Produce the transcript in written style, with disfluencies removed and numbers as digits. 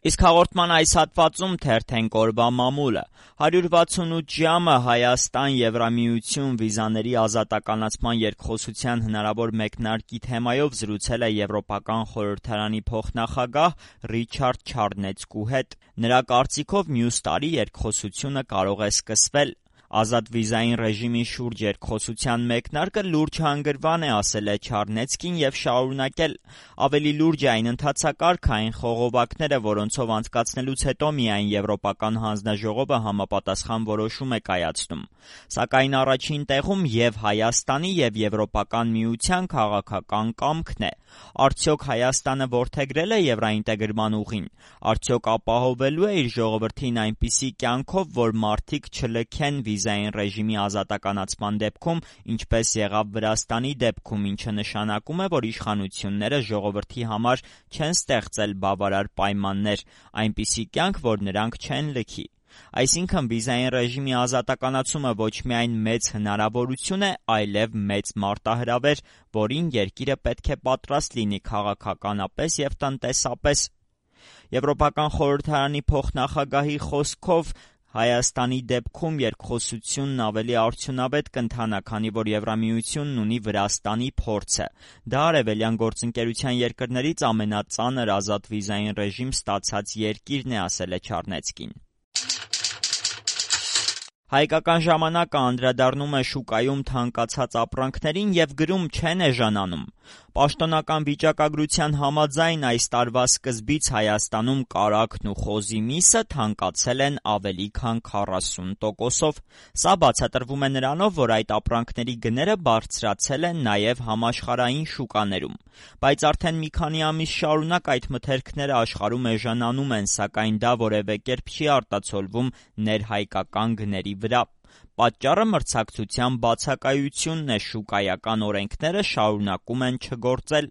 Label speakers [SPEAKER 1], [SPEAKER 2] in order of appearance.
[SPEAKER 1] Իսկ հաղորդման այս հատվածում թերթենք օրվա մամուլը։ 168 ժամը Հայաստան-Եվրամիություն վիզաների ազատականացման երկխոսության հնարավոր մեկնարկի թեմայով զրուցել է Եվրոպական խորհրդարանի փոխնախագահ Ռիչարդ Չարնեցկու հետ։ Նրա կարծիքով մյուս տարի երկխոսությունը կարող է սկսվել։ Ազատ վիզային ռեժիմի շուրջ երկխոսության մեկնարկը լուրջ հանգրվան է, ասել է Չարնեցկին և շարունակել. ավելի լուրջ է այն ընթացակարգը, այն խողովակները, որոնցով անցկացնելուց հետո միայն Եվրոպական հանձնաժողովը համապատասխան որոշում է կայացնում։ Սակայն առաջին տեղում և Հայաստանի, և Եվրոպական միության քաղաքական կամքն է։ Արդյոք Հայաստանը որդեգրել է եվրաինտեգրման ուղին։ Արդյոք ապահովելու է իր ժողովրդին այնպիսի կյանքով, որ մարդիկ չլքեն վիզային ռեժիմի ազատականացման դեպքում, ինչպես եղավ Վրաստանի դեպքում, ինչը նշանակում է, որ իշխանությունները ժողովրդի համար չեն ստեղծել բավարար պայմաններ, այնպիսի կյանք, որ նրանք չեն լքի։ Այսինքն վիզային ռեժիմի ազատականացումը ոչ միայն մեծ հնարավորություն է, այլև մեծ մարտահրավեր, որին երկիրը պետք է պատրաստ լինի քաղաքականապես և տնտեսապես։ Եվրոպական խորհրդարանի փոխնախագահի խոսքով Հայաստանի դեպքում երկխոսությունն ավելի արդյունավետ կընթանա, քանի որ Եվրամիությունն ունի Վրաստանի փորձը։ Դա արևելյան գործընկերության երկրներից ամենածանր ազատ վիզային ռեժիմ ստացած երկիրն է, ասել է Չարնեցկին։ Հայկական ժամանակը անդրադառնում է շուկայում թանկացած ապրանքներին և գրում չեն էժանանում։ Պաշտոնական վիճակագրության համաձայն այս տարվա սկզբից Հայաստանում կարագն ու խոզի միսը թանկացել են ավելի քան 40%-ով։ Սա բացատրվում է նրանով, որ այդ ապրանքների գները բարձրացել են նաև համաշխարհային շուկաներում։ Բայց արդեն մի քանի ամիս շարունակ այդ մթերքները աշխարհում էժանանում են, սակայն դա որևէ կերպ չի արտացոլվում ներհայկական գների վրա։ Պատճառը մրցակցության բացակայությունն է, շուկայական օրենքները շարունակում են չգործել։